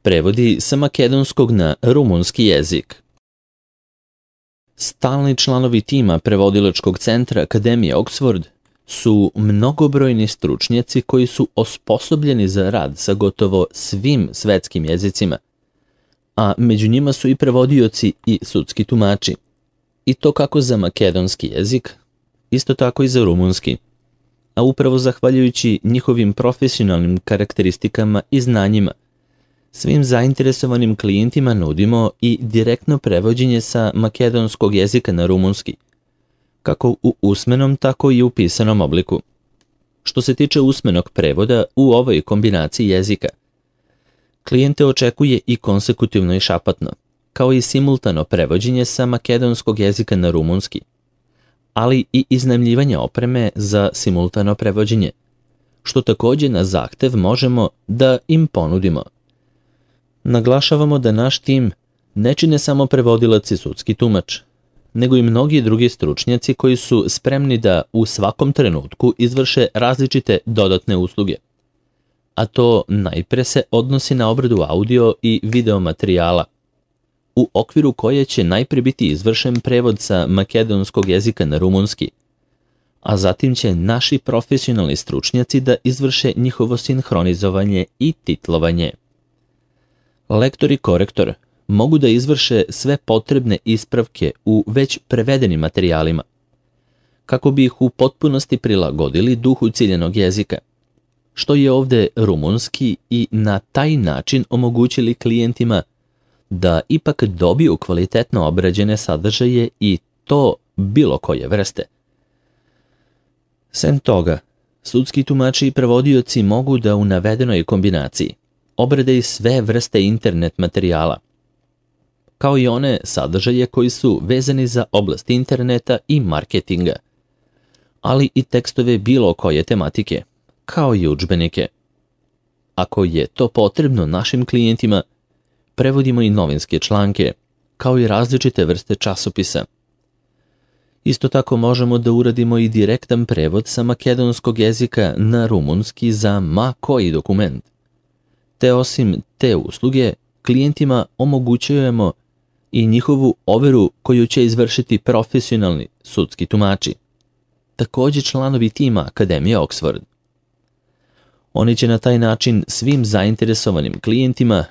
Prevodi sa makedonskog na rumunski jezik. Stalni članovi tima prevodilačkog centra Akademije Oxford su mnogobrojni stručnjaci koji su osposobljeni za rad sa gotovo svim svetskim jezicima, a među njima su i prevodioci i sudski tumači. I to kako za makedonski jezik, isto tako i za rumunski. A upravo zahvaljujući njihovim profesionalnim karakteristikama i znanjima, svim zainteresovanim klijentima nudimo i direktno prevođenje sa makedonskog jezika na rumunski, kako u usmenom, tako i u pisanom obliku. Što se tiče usmenog prevoda u ovoj kombinaciji jezika, klijente očekuje i konsekutivno i šapatno, kao i simultano prevođenje sa makedonskog jezika na rumunski, ali i iznajmljivanje opreme za simultano prevođenje, što također na zahtev možemo da im ponudimo. Naglašavamo da naš tim ne čine samo prevodilac i sudski tumač, nego i mnogi drugi stručnjaci koji su spremni da u svakom trenutku izvrše različite dodatne usluge. A to najpre se odnosi na obradu audio i video materijala, u okviru koje će najpre biti izvršen prevod sa makedonskog jezika na rumunski, a zatim će naši profesionalni stručnjaci da izvrše njihovo sinhronizovanje i titlovanje. Lektor i korektor mogu da izvrše sve potrebne ispravke u već prevedenim materijalima, kako bi ih u potpunosti prilagodili duhu ciljanog jezika, što je ovdje rumunski, i na taj način omogućili klijentima da ipak dobiju kvalitetno obrađene sadržaje i to bilo koje vrste. Sem toga, sudski tumači i prevodioci mogu da u navedenoj kombinaciji obrade i sve vrste internet materijala, kao i one sadržaje koji su vezani za oblast interneta i marketinga, ali i tekstove bilo koje tematike, kao i udžbenike. Ako je to potrebno našim klijentima, prevodimo i novinske članke, kao i različite vrste časopisa. Isto tako možemo da uradimo i direktan prevod sa makedonskog jezika na rumunski za ma koji dokument. Te osim te usluge, klijentima omogućujemo i njihovu overu koju će izvršiti profesionalni sudski tumači, također članovi tima Akademije Oxford. Oni će na taj način svim zainteresovanim klijentima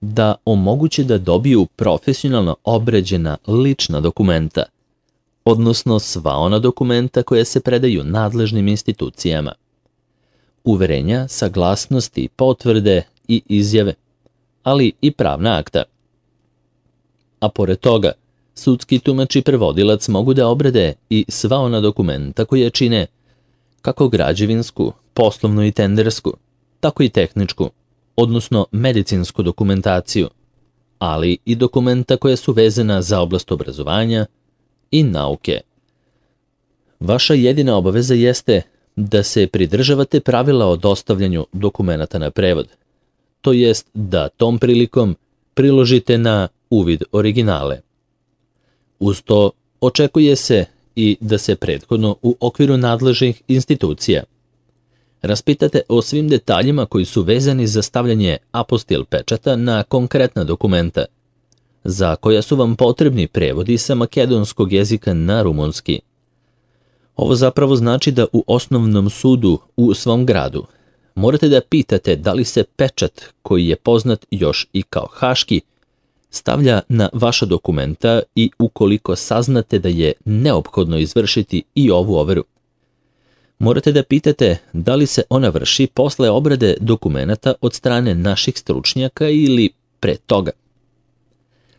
da omoguće da dobiju profesionalno obrađena lična dokumenta, odnosno sva ona dokumenta koja se predaju nadležnim institucijama, uverenja, saglasnosti, potvrde i izjave, ali i pravna akta. A pored toga, sudski tumač i prevodilac mogu da obrade i sva ona dokumenta koje čine kako građevinsku, poslovnu i tendersku, tako i tehničku, odnosno medicinsku dokumentaciju, ali i dokumenta koja su vezana za oblast obrazovanja i nauke. Vaša jedina obaveza jeste da se pridržavate pravila o dostavljanju dokumenata na prevod, to jest da tom prilikom priložite na uvid originale. Uz to očekuje se i da se prethodno u okviru nadležnih institucija raspitate o svim detaljima koji su vezani za stavljanje apostil pečata na konkretna dokumenta, za koja su vam potrebni prevodi sa makedonskog jezika na rumunski. Ovo zapravo znači da u osnovnom sudu u svom gradu morate da pitate da li se pečat, koji je poznat još i kao haški, stavlja na vaša dokumenta i ukoliko saznate da je neophodno izvršiti i ovu overu. Morate da pitate da li se ona vrši posle obrade dokumenata od strane naših stručnjaka ili pre toga.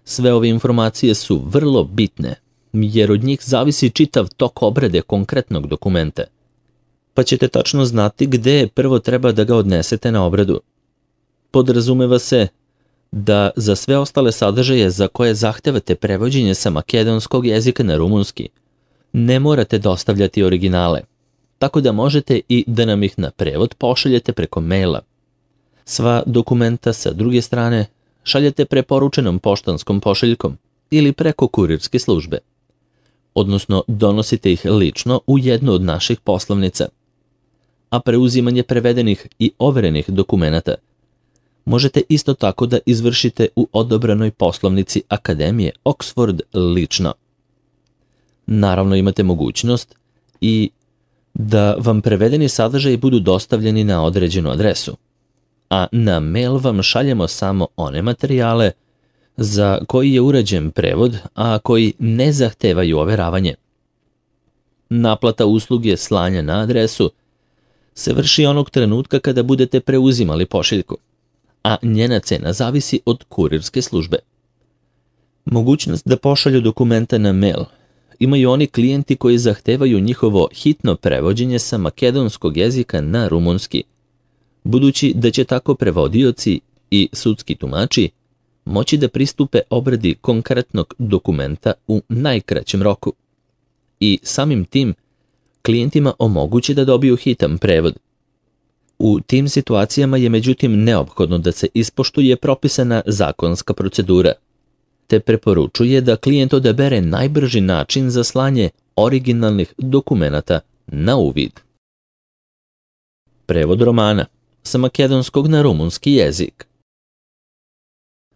Sve ove informacije su vrlo bitne, jer od njih zavisi čitav tok obrade konkretnog dokumenta. Pa ćete tačno znati gde prvo treba da ga odnesete na obradu. Podrazumeva se da za sve ostale sadržaje za koje zahtevate prevođenje sa makedonskog jezika na rumunski, ne morate dostavljati originale, tako da možete i da nam ih na prevod pošaljete preko maila. Sva dokumenta sa druge strane šaljete preporučenom poštanskom pošiljkom ili preko kurirske službe, odnosno donosite ih lično u jednu od naših poslovnica. A preuzimanje prevedenih i overenih dokumenata Možete isto tako da izvršite u odobranoj poslovnici Akademije Oxford lično. Naravno imate mogućnost i da vam prevedeni sadržaji budu dostavljeni na određenu adresu, a na mail vam šaljemo samo one materijale za koji je urađen prevod, a koji ne zahtevaju overavanje. Naplata usluge slanja na adresu se vrši onog trenutka kada budete preuzimali pošiljku, a njena cena zavisi od kurirske službe. Mogućnost da pošalju dokumenta na mail imaju oni klijenti koji zahtevaju njihovo hitno prevođenje sa makedonskog jezika na rumunski, budući da će tako prevodioci i sudski tumači moći da pristupe obradi konkretnog dokumenta u najkraćem roku i samim tim klijentima omogući da dobiju hitan prevod. U tim situacijama je međutim neophodno da se ispoštuje propisana zakonska procedura, te preporučuje da klijent odabere najbrži način za slanje originalnih dokumenata na uvid. Prevod romana sa makedonskog na rumunski jezik.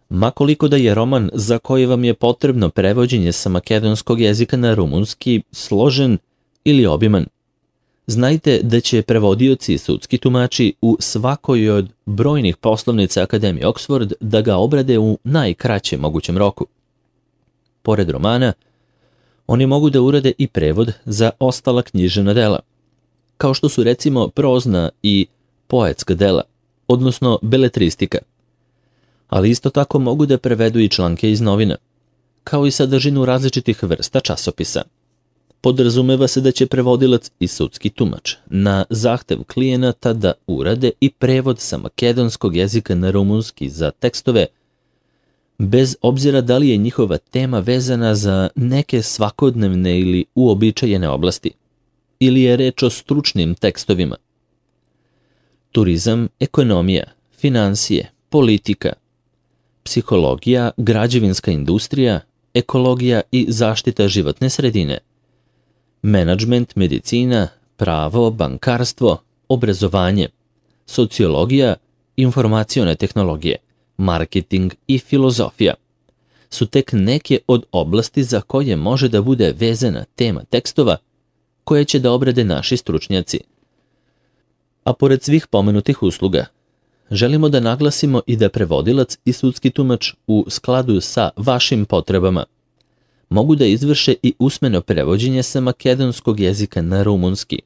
Makoliko da je roman za koji vam je potrebno prevođenje sa makedonskog jezika na rumunski složen ili obiman, znajte da će prevodioci i sudski tumači u svakoj od brojnih poslovnica Akademije Oxford da ga obrade u najkraćem mogućem roku. Pored romana, oni mogu da urade i prevod za ostala književna dela, kao što su recimo prozna i poetska dela, odnosno beletristika, ali isto tako mogu da prevedu i članke iz novina, kao i sadržinu različitih vrsta časopisa. Podrazumeva se da će prevodilac i sudski tumač na zahtev klijenata da urade i prevod sa makedonskog jezika na rumunski za tekstove, bez obzira da li je njihova tema vezana za neke svakodnevne ili uobičajene oblasti, ili je reč o stručnim tekstovima. Turizam, ekonomija, finansije, politika, psihologija, građevinska industrija, ekologija i zaštita životne sredine, menadžment, medicina, pravo, bankarstvo, obrazovanje, sociologija, informacione tehnologije, marketing i filozofija su tek neke od oblasti za koje može da bude vezana tema tekstova koje će da obrade naši stručnjaci. A pored svih pomenutih usluga, želimo da naglasimo i da prevodilac i sudski tumač u skladu sa vašim potrebama mogu da izvrše i usmeno prevođenje sa makedonskog jezika na rumunski,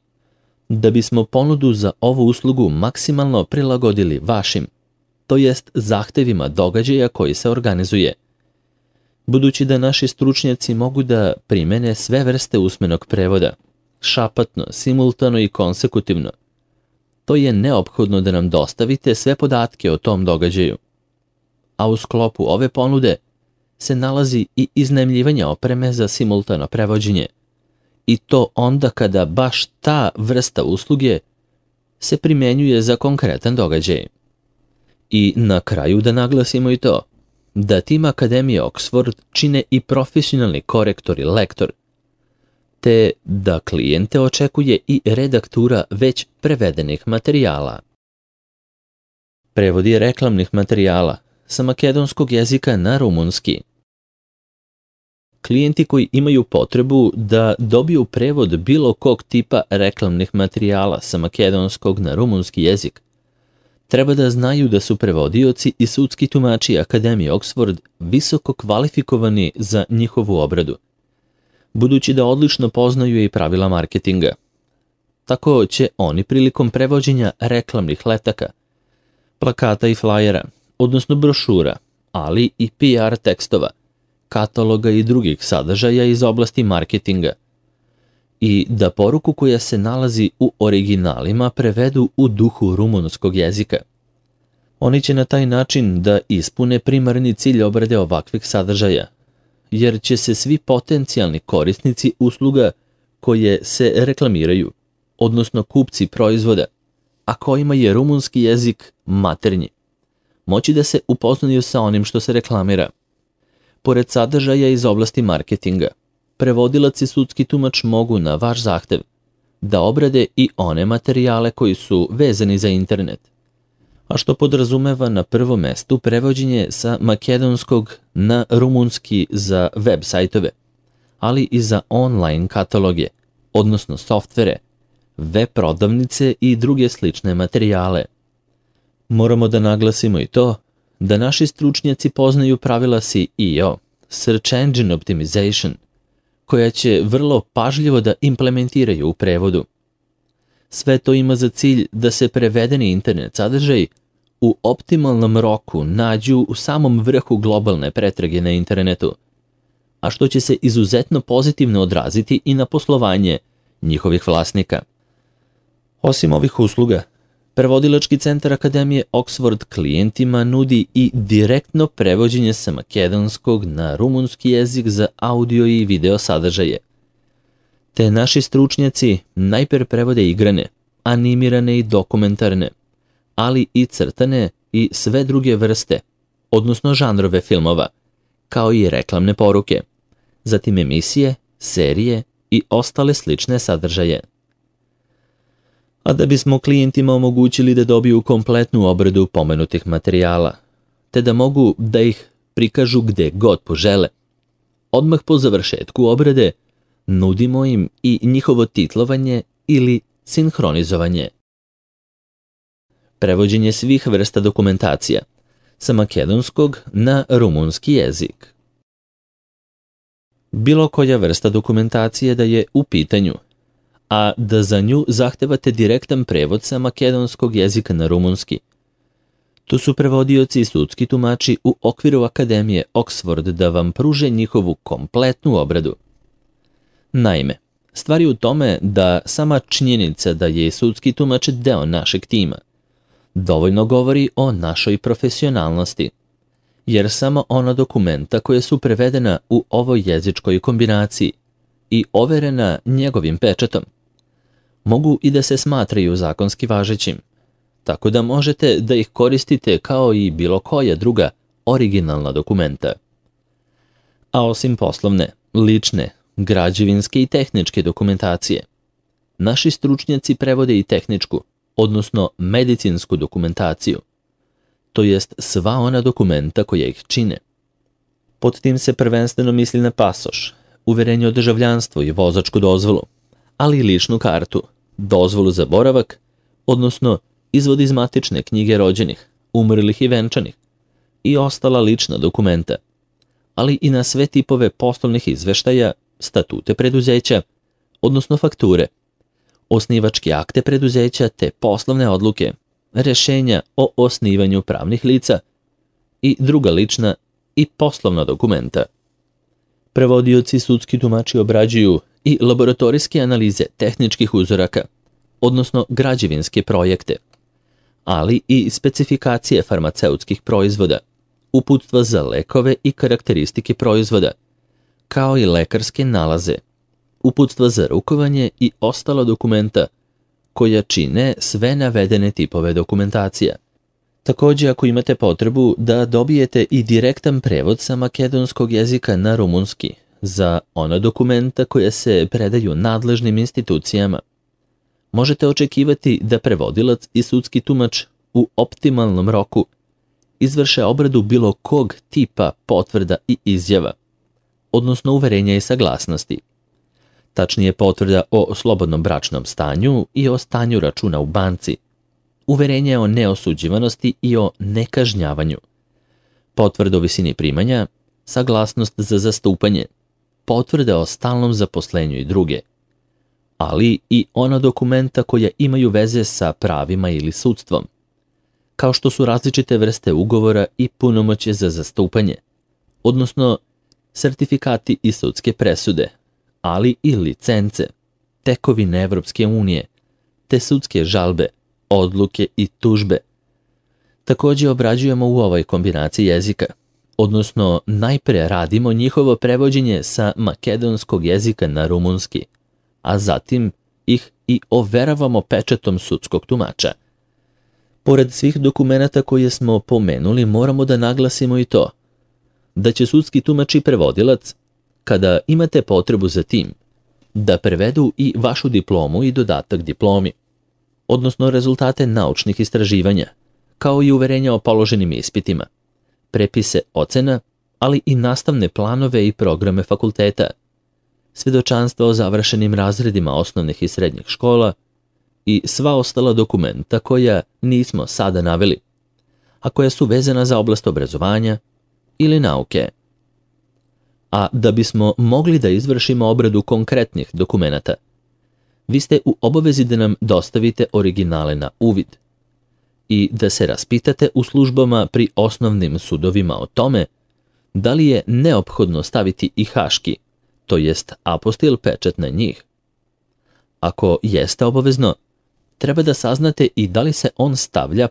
da bismo ponudu za ovu uslugu maksimalno prilagodili vašim, to jest zahtevima događaja koji se organizuje. Budući da naši stručnjaci mogu da primene sve vrste usmenog prevoda, šapatno, simultano i konsekutivno, to je neophodno da nam dostavite sve podatke o tom događaju. A u sklopu ove ponude se nalazi i iznajmljivanje opreme za simultano prevođenje, i to onda kada baš ta vrsta usluge se primenjuje za konkretan događaj. I na kraju da naglasimo i to, da tim Akademije Oxford čine i profesionalni korektor i lektor, te da klijente očekuje i redaktura već prevedenih materijala. Prevodi reklamnih materijala sa makedonskog jezika na rumunski. Klijenti koji imaju potrebu da dobiju prevod bilo kog tipa reklamnih materijala sa makedonskog na rumunski jezik, treba da znaju da su prevodioci i sudski tumači Akademije Oxford visoko kvalifikovani za njihovu obradu, budući da odlično poznaju i pravila marketinga. Tako će oni prilikom prevođenja reklamnih letaka, plakata i flajera, odnosno brošura, ali i PR tekstova, kataloga i drugih sadržaja iz oblasti marketinga, i da poruku koja se nalazi u originalima prevedu u duhu rumunskog jezika. Oni će na taj način da ispune primarni cilj obrade ovakvih sadržaja, jer će se svi potencijalni korisnici usluga koje se reklamiraju, odnosno kupci proizvoda, a kojima je rumunski jezik maternji, moći da se upoznaju sa onim što se reklamira. Pored sadržaja iz oblasti marketinga, prevodilac i sudski tumač mogu na vaš zahtev da obrade i one materijale koji su vezani za internet, a što podrazumeva na prvom mestu prevođenje sa makedonskog na rumunski za web sajtove, ali i za online kataloge, odnosno softvere, web prodavnice i druge slične materijale. Moramo da naglasimo i to da naši stručnjaci poznaju pravila SEO, Search Engine Optimization, koja će vrlo pažljivo da implementiraju u prevodu. Sve to ima za cilj da se prevedeni internet sadržaj u optimalnom roku nađu u samom vrhu globalne pretrage na internetu, a što će se izuzetno pozitivno odraziti i na poslovanje njihovih vlasnika. Osim ovih usluga, Prevodilački centar Akademije Oxford klijentima nudi i direktno prevođenje sa makedonskog na rumunski jezik za audio i video sadržaje. Te naši stručnjaci najpre prevode igrane, animirane i dokumentarne, ali i crtane i sve druge vrste, odnosno žanrove filmova, kao i reklamne poruke, zatim emisije, serije i ostale slične sadržaje. A da bismo klijentima omogućili da dobiju kompletnu obradu pomenutih materijala, te da mogu da ih prikažu gde god požele, odmah po završetku obrade nudimo im i njihovo titlovanje ili sinhronizovanje. Prevođenje svih vrsta dokumentacija sa makedonskog na rumunski jezik. Bilo koja vrsta dokumentacije da je u pitanju, a da za nju zahtevate direktan prevod sa makedonskog jezika na rumunski. Tu su prevodioci i sudski tumači u okviru Akademije Oxford da vam pruže njihovu kompletnu obradu. Naime, stvar je u tome da sama činjenica da je sudski tumač deo našeg tima dovoljno govori o našoj profesionalnosti, jer samo ona dokumenta koja su prevedena u ovoj jezičkoj kombinaciji i overena njegovim pečatom mogu i da se smatraju zakonski važećim, tako da možete da ih koristite kao i bilo koja druga originalna dokumenta. A osim poslovne, lične, građevinske i tehničke dokumentacije, naši stručnjaci prevode i tehničku, odnosno medicinsku dokumentaciju, to jest sva ona dokumenta koja ih čine. Pod tim se prvenstveno misli na pasoš, uverenje o državljanstvu i vozačku dozvolu, ali i ličnu kartu, dozvolu za boravak, odnosno izvod iz matične knjige rođenih, umrlih i venčanih i ostala lična dokumenta, ali i na sve tipove poslovnih izveštaja, statute preduzeća, odnosno fakture, osnivačke akte preduzeća te poslovne odluke, rešenja o osnivanju pravnih lica i druga lična i poslovna dokumenta. Prevodioci i sudski tumači obrađuju i laboratorijske analize tehničkih uzoraka, odnosno građevinske projekte, ali i specifikacije farmaceutskih proizvoda, uputstva za lekove i karakteristike proizvoda, kao i lekarske nalaze, uputstva za rukovanje i ostala dokumenta koja čine sve navedene tipove dokumentacija. Također, ako imate potrebu da dobijete i direktan prevod sa makedonskog jezika na rumunski za ona dokumenta koja se predaju nadležnim institucijama, možete očekivati da prevodilac i sudski tumač u optimalnom roku izvrše obradu bilo kog tipa potvrda i izjava, odnosno uverenja i saglasnosti. Tačnije potvrda o slobodnom bračnom stanju i o stanju računa u banci, uverenje o neosuđivanosti i o nekažnjavanju, potvrda o visini primanja, saglasnost za zastupanje, potvrda o stalnom zaposlenju i druge, ali i ona dokumenta koja imaju veze sa pravima ili sudstvom, kao što su različite vrste ugovora i punomoćje za zastupanje, odnosno sertifikati i sudske presude, ali i licence, tekovine Evropske unije, te sudske žalbe, odluke i tužbe. Također obrađujemo u ovoj kombinaciji jezika, odnosno najpre radimo njihovo prevođenje sa makedonskog jezika na rumunski, a zatim ih i overavamo pečatom sudskog tumača. Pored svih dokumenata koje smo pomenuli, moramo da naglasimo i to da će sudski tumač i prevodilac, kada imate potrebu za tim, da prevedu i vašu diplomu i dodatak diplomi, odnosno rezultate naučnih istraživanja, kao i uverenja o položenim ispitima, prepise ocena, ali i nastavne planove i programe fakulteta, svjedočanstva o završenim razredima osnovnih i srednjih škola i sva ostala dokumenta koja nismo sada naveli, a koja su vezana za oblast obrazovanja ili nauke. A da bismo mogli da izvršimo obradu konkretnih dokumenata, vi ste u obavezi da nam dostavite originale na uvid i da se raspitate u službama pri osnovnim sudovima o tome da li je neophodno staviti i haški, to jest apostil pečat na njih. Ako jeste obavezno, treba da saznate i da li se on stavlja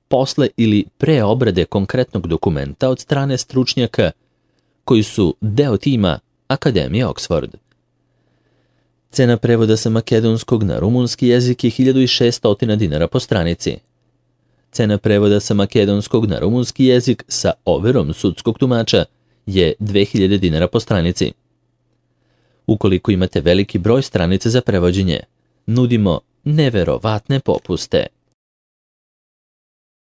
posle ili pre obrade konkretnog dokumenta od strane stručnjaka koji su deo tima Akademije Oxford. Cena prevoda sa makedonskog na rumunski jezik je 1600 dinara po stranici. Cena prevoda sa makedonskog na rumunski jezik sa overom sudskog tumača je 2000 dinara po stranici. Ukoliko imate veliki broj stranica za prevođenje, nudimo neverovatne popuste.